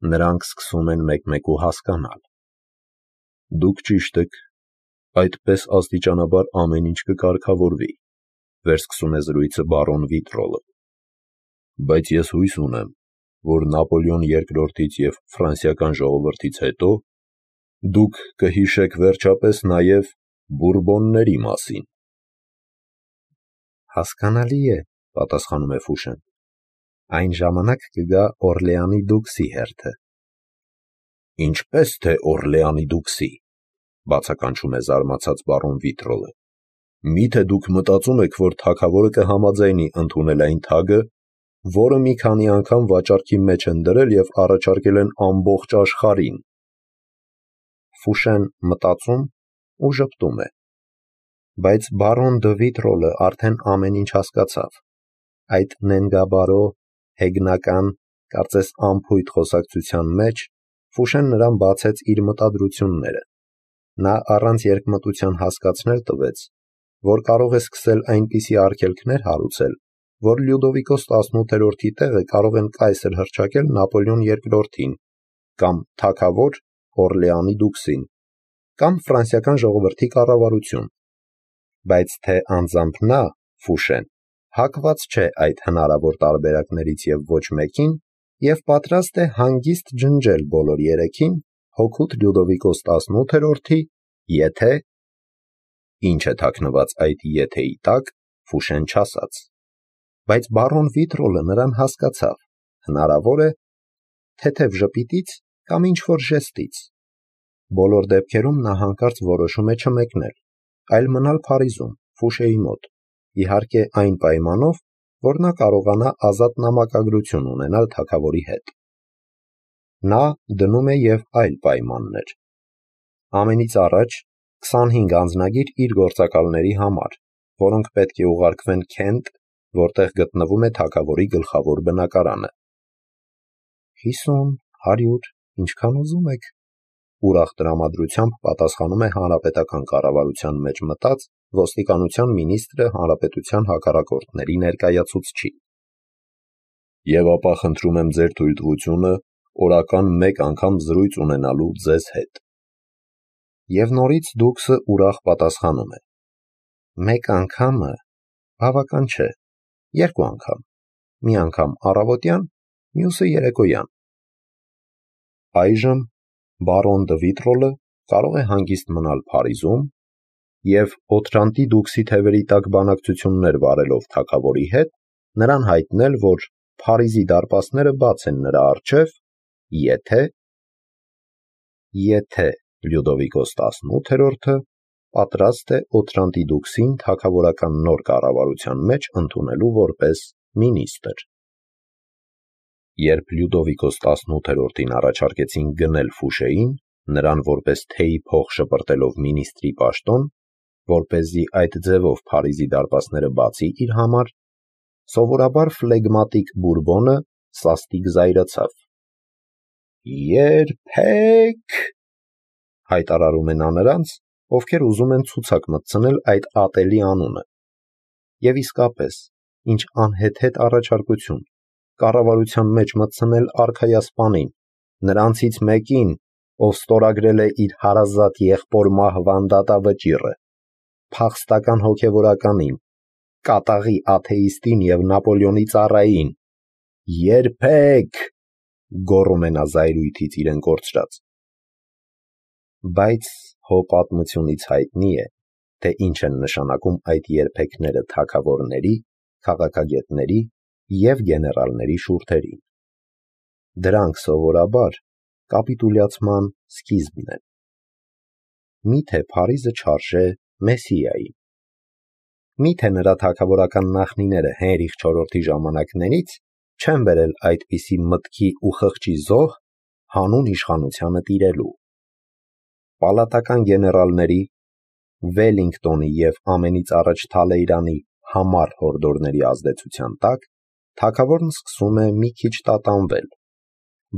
Նրանք սկսում են մեկ-մեկու հասկանալ։ Դուք ճիշտ եք, այդպես աստիճանաբար ամեն ինչ կկարգավորվի, վերսկսում է զրույցը բարոն Վիտրոլը։ Բայց ես հույս ունեմ, որ Նապոլեոն II-ից և ֆրանսիական ժողովրդից հետո դուք կհիշեք վերջապես նաև Բուրբոնների մասին։ Հասկանալի է, պատասխանում է Ֆուշեն, այն ժամանակ կգա Օրլեանի դուքսի հերթը։ Ինչպես թե Օրլեանի դուքսի, բացականչում է զարմացած բարոն Վիտրոլը։ Միթե դուք մտածում եք, որ թագավորը կհամաձայնի ընդունել այն թագը, որը մի քանի անգամ վաճառքի մեջ են դրել և առաջարկել են ամբողջ աշխարհին։ Ֆուշեն մտածում ու ժպտում է։ Բայց բարոն դը Վիտրոլը արդեն ամեն ինչ հասկացավ։ Այդ նենգաբարո, հեգնական, կարծես անփույթ խոսակցության մեջ Ֆուշեն նրան բացեց իր մտադրությունները։ Նա առանց երկմտության հասկացնել տվեց, որ կարող է սկսել այնպիսի արգելքներ հարուցել, որ Լյուդովիկոս 18-րդի տեղը կարող են կայսր հռչակել Նապոլեոն II-ին, կամ թագավոր Օրլեանի դուքսին, կամ ֆրանսիական ժողովրդի կառավարություն։ Բայց թե անձամբ նա, Ֆուշեն, հակված չէ այդ հնարավոր տարբերակներից և ոչ մեկին և պատրաստ է հանգիստ ջնջել բոլոր երեքին հօգուտ Լյուդովիկոս 18-րդի, եթե… Ինչ է թաքնված այդ եթեի տակ, Ֆուշեն չասաց։ Բայց բարոն Վիտրոլը նրան հասկացավ, հնարավոր է, թեթև ժպիտից կամ ինչ-որ ժեստից։ Բոլոր դեպքերում նա հանկարծ որոշում է չմեկնել, այլ մնալ Փարիզում, Ֆուշեի մոտ, իհարկե այն պայմանով, որ նա կարողանա ազատ նամակագրություն ունենալ թագավորի հետ։ Նա դնում է և այլ պայմաններ։ Ամենից առաջ 25 անձնագիր իր գործակալների համար, որոնք պետք է ուղարկվեն Քենտ, որտեղ գտնվում է թագավորի գլխավոր բնակարանը։ 50, 100, ինչքան ուզում եք, ուրախ տրամադրությամբ պատասխանում է հանրապետական կառավարության մեջ մտած ոստիկանության մինիստրը հանրապետության հակառակորդների ներկայացուցչին։ Եվ ապա խնդրում եմ ձեր թույլտվությունը օրական մեկ անգամ զրույց ունենալու ձեզ հետ։ Եվ նորից դուքսը ուրախ պատասխանում է. Մեկ անգամը բավական չէ, 2 անգամ, մի անգամ առավոտյան, մյուսը երեկոյան։ Այժմ բարոն դը Վիտրոլը կարող է հանգիստ մնալ Փարիզում և Օթրանտի դուքսի թևերի տակ բանակցություններ վարելով թագավորի հետ, նրան հայտնել, որ Փարիզի դարպասները բաց են նրա առջև, եթե Լյուդովիկոս 18-րդը պատրաստ է Օթրանտի դուքսին թագավորական նոր կառավարության մեջ ընդունելու որպես մինիստրը։ Երբ Լյուդովիկոս 18-րդին առաջարկեցին գնել Ֆուշեին, նրան որպես թեյի փող շպրտելով մինիստրի պաշտոն, որպեսզի այդ ձևով Փարիզի դարպասները բացի իր համար, սովորաբար ֆլեգմատիկ Բուրբոնը սաստիկ զայրացավ։ Երբեք, հայտարարում է նա նրանց, ովքեր ուզում են ցուցակ մտցնել այդ ատելի անունը։ Եվ իսկապես, ինչ անհեթեթ առաջարկություն, կառավարության մեջ մտցնել արքայասպանին, նրանցից մեկին, ով ստորագրել է իր հարազատ եղբոր մահվան դատավճիռը, փախստական հոգևորականին, կատաղի աթեիստին և Նապոլեոնի ծառային։ Երբեք, գոռում է նա զայրույթից իրեն կորցրած։ Բայց հո պատմությունից հայտնի է, թե ինչ են նշանակում այդ երբեքները թագավորների, քաղաքագետների և գեներալների շուրթերին։ Դրանք սովորաբար կապիտուլյացման սկիզբն են։ Միթե Փարիզը չարժե Մեսսիայի։ Միթե նրա թագավորական նախնիները Հենրիխ IV-ի ժամանակներից չեն բերել այդպիսի մտքի ու խղճի զոհ հանուն իշխանությանը տիրելու։ Պալատական գեներալների, Վելինգտոնի և ամենից առաջ Թալեյրանի համառ հորդորների ազդեցության տակ թագավորն սկսում է մի քիչ տատանվել։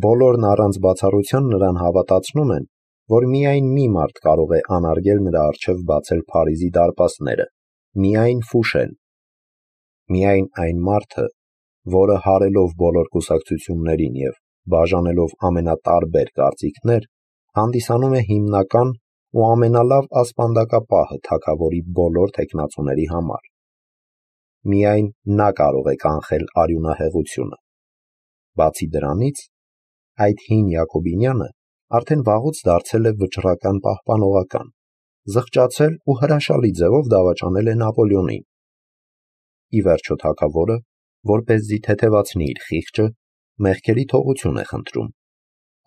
Բոլորն առանց բացառության նրան հավատացնում են, որ միայն մի մարդ կարող է անարգել նրա առջև բացել Փարիզի դարպասները, միայն Ֆուշեն։ Միայն այն մարդը, որը հարելով բոլոր կուսակցություններին և բաժանելով ամենատարբեր կարծիքներ, հանդիսանում է հիմնական ու ամենալավ ասպանդակապահը թագավորի բոլոր թեկնածուների համար։ Միայն նա կարող է կանխել արյունահեղությունը։ Բացի դրանից, այդ հին Յակոբինյանը արդեն վաղուց դարձել է վճռական պահպանողական, զղջացել ու հրաշալի ձևով դավաճանել է Նապոլեոնին։ Ի վերջո թագավորը, որպեսզի թեթևացնի իր խիղճը, մեղքերի թողություն է խնդրում։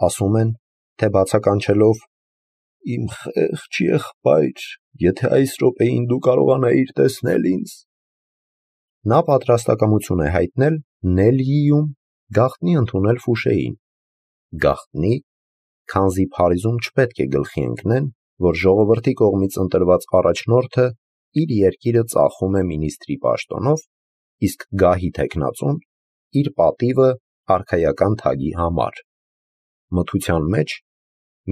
Ասում են, թե բացականչելով «Իմ խեղճ եղբայր, եթե այս րոպեին դու կարողանայիր տեսնել ինձ», նա պատրաստակամություն է հայտնել Նելիում գաղտնի ընդունել Ֆուշեին։ Գաղտնի, քանզի Փարիզում չպետք է գլխի ընկնեն, որ ժողովրդի կողմից ընտրված առաջնորդը իր երկիրը ծախում է մինիստրի պաշտոնով, իսկ գահի թեկնածուն իր պատիվը արքայական թագի համար։ Մթության մեջ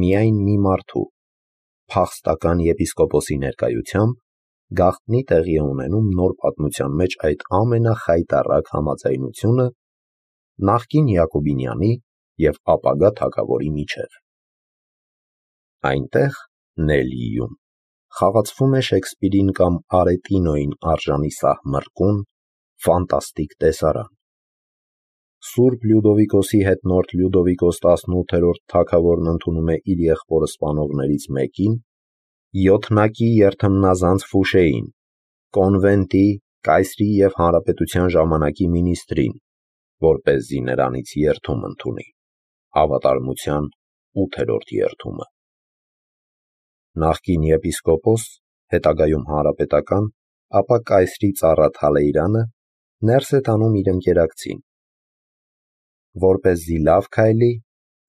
միայն մի մարդու, փախստական եպիսկոպոսի ներկայությամբ, գաղտնի տեղի է ունենում նոր պատմության մեջ այդ ամենախայտառակ համաձայնությունը նախկին Յակոբինյանի և ապագա թագավորի միջև։ Այնտեղ, Նելիում, խաղացվում է Շեքսպիրին կամ Արետինոյին արժանի սահմռկուն, ֆանտաստիկ տեսարան։ Սուրբ Լյուդովիկոսի հետնորդ Լյուդովիկոս 18-րդ թագավորն ընդունում է իր եղբորը սպանողներից մեկին, յոթնակի երթմնազանց Ֆուշեին, կոնվենտի, կայսրի և հանրապետության ժամանակի մինիստրին, որպեսզի նրանից երդում ընդունի, հավատարմության 8-րդ երդումը։ Նախկին եպիսկոպոս, հետագայում հանրապետական, ապա կայսրի ծառա Թալեյրանը ներս է տանում իր ընկերակցին։ Որպեսզի լավ քայլի,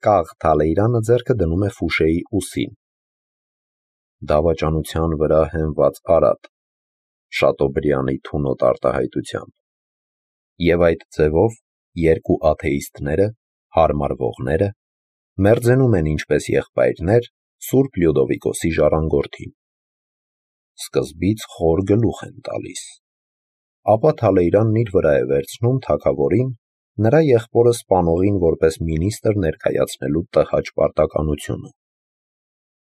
կաղ Թալեյրանը ձեռքը դնում է Ֆուշեի ուսին։ Դավաճանության վրա հենված արատ, Շատոբրյանի թունոտ արտահայտությամբ։ Եվ այդ ձևով երկու աթեիստները, հարմարվողները, մերձենում են ինչպես եղբայրներ Սուրբ Լյուդովիկոսի ժառանգորդին։ Սկզբից խոր գլուխ են տալիս։ Ապա Թալեյրանն իր վրա է վերցնում թագավորին, նրա եղբորը սպանողին որպես մինիստր ներկայացնելու տհաճ պարտականությունը։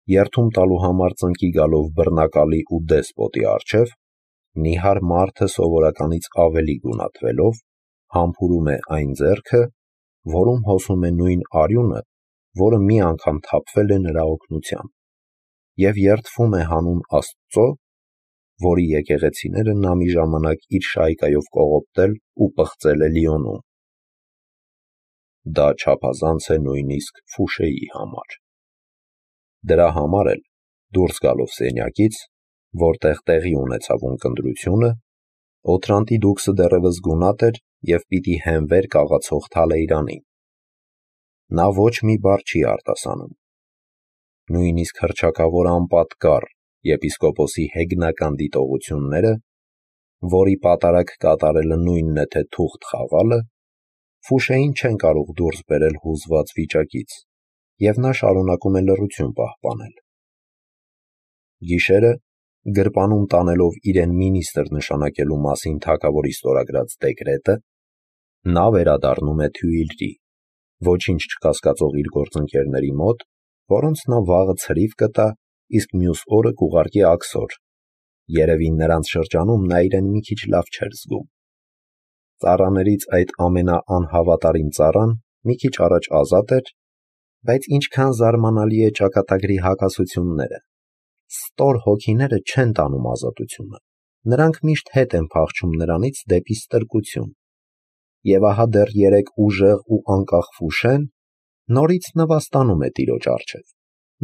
Երդում տալու համար ծնկի գալով բռնակալի ու դեսպոտի առջև, նիհար մարդը սովորականից ավելի գունատվելով, համբուրում է այն ձեռքը, որում հոսում է նույն արյունը, որը մի անգամ թափվել է նրա օգնությամբ, և երդվում է հանուն Աստծո, որի եկեղեցիները նա մի ժամանակ իր շայկայով կողոպտել ու պղծել է Լիոնում։ Դա չափազանց է նույնիսկ Ֆուշեի համար։ Դրա համար էլ, դուրս գալով սենյակից, որտեղ տեղի ունեցավ ունկնդրությունը, Օթրանտի դուքսը դեռևս գունատ էր և պիտի հենվեր կաղացող Թալեյրանին։ Նա ոչ մի բառ չի արտասանում։ Նույնիսկ հռչակավոր անպատկառ եպիսկոպոսի հեգնական դիտողությունները, որի պատարագ կատարելը նույնն է, թե թուղթ խաղալը, Ֆուշեին չեն կարող դուրս բերել հուզված վիճակից, և նա շարունակում է լռություն պահպանել։ Գիշերը, գրպանում տանելով իրեն մինիստր նշանակելու մասին թագավորի ստորագրած դեկրետը, նա վերադառնում է Թյուիլրի, ոչինչ չկասկածող իր գործընկերների մոտ, որոնց նա վաղը ցրիվ կտա, իսկ մյուս օրը կուղարկի աքսոր։ Երևի նրանց շրջանում նա իրեն մի քիչ լավ չէր զգում։ Ծառաներից այդ ամենաանհավատարիմ ծառան մի քիչ առաջ ազատ էր, բայց ինչքան զարմանալի է ճակատագրի հակասությունները։ Ստոր հոգիները չեն տանում ազատությունը, նրանք միշտ հետ են փախչում նրանից դեպի ստրկություն։ Եվ ահա դեռ երեկ ուժեղ ու անկախ Ֆուշեն նորից նվաստանում է տիրոջ առջև,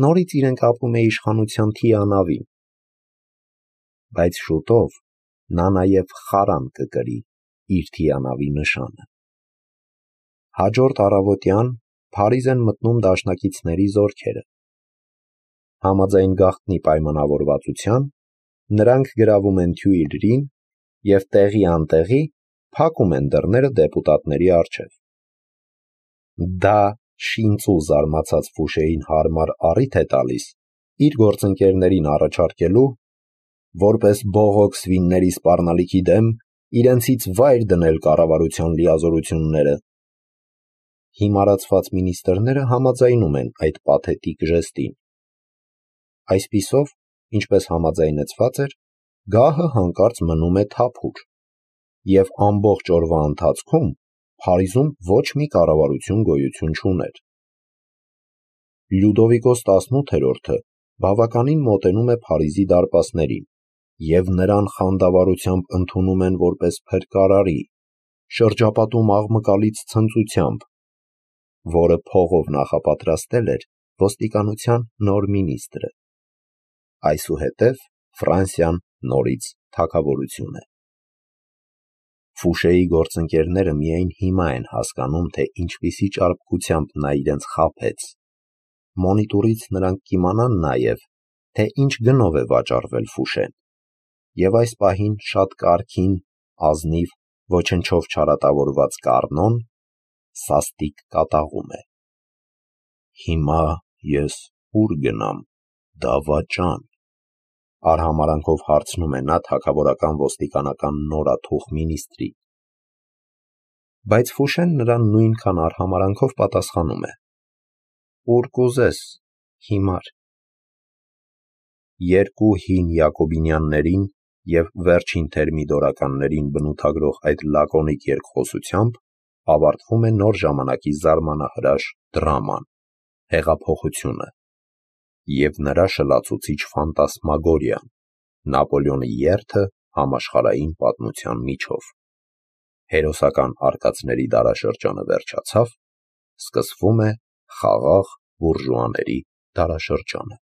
նորից իրեն կապում է իշխանության թիանավին։ Բայց շուտով նա նաև խարան կկրի իր թիանավի նշանը։ Հաջորդ առավոտյան Փարիզ են մտնում դաշնակիցների զորքերը։ Համաձայն գաղտնի պայմանավորվածության, նրանք գրավում են Թյուիլրին և տեղի անտեղի փակում են դռները դեպուտատների առջև։ Դա շինծու զարմացած Ֆուշեին հարմար առիթ է տալիս իր գործընկերներին առաջարկելու, որպես բողոք սվինների սպառնալիքի դեմ, իրենցից վայր դնել կառավարության լիազորությունները։ Հիմարացված մինիստրները համաձայնում են այդ պաթետիկ ժեստին։ Այսպիսով, ինչպես համաձայնեցված էր, գահը հանկարծ մնում է թափուր, և ամբողջ օրվա ընթացքում Փարիզում ոչ մի կառավարություն գոյություն չուներ։ Լյուդովիկոս 18-րդը բավականին մոտենում է Փարիզի դարպասներին, և նրան խանդավառությամբ ընդունում են որպես փրկարարի, շրջապատում աղմկալից ցնծությամբ, որը փողով նախապատրաստել էր ոստիկանության նոր մինիստրը։ Այսուհետև Ֆրանսիան նորից թագավորություն է։ Ֆուշեի գործընկերները միայն հիմա են հասկանում, թե ինչպիսի ճարպկությամբ նա իրենց խաբեց։ Մոնիտորից նրանք կիմանան նաև, թե ինչ գնով է վաճառվել Ֆուշեն, և այս պահին շատ կարգին, ազնիվ, ոչնչով չարատավորված Կառնոն սաստիկ կատաղում է։ «Հիմա ես ուր գնամ, դավաճան», արհամարհանքով հարցնում է նա թագավորական ոստիկանական նորաթուխ մինիստրին։ Բայց Ֆուշեն նրան նույնքան արհամարհանքով պատասխանում է. «Ուր կուզես, հիմար»։ Երկու հին յակոբինյաններին և վերջին թերմիդորականներին բնութագրող այդ լակոնիկ երկխոսությամբ ավարտվում է նոր ժամանակի զարմանահրաշ դրաման՝ հեղափոխությունը, և նրա շլացուցիչ ֆանտասմագորիան՝ Նապոլեոնի երթը համաշխարհային պատմության միջով։ Հերոսական արկածների դարաշրջանը վերջացավ, սկսվում է խաղաղ բուրժուաների դարաշրջանը։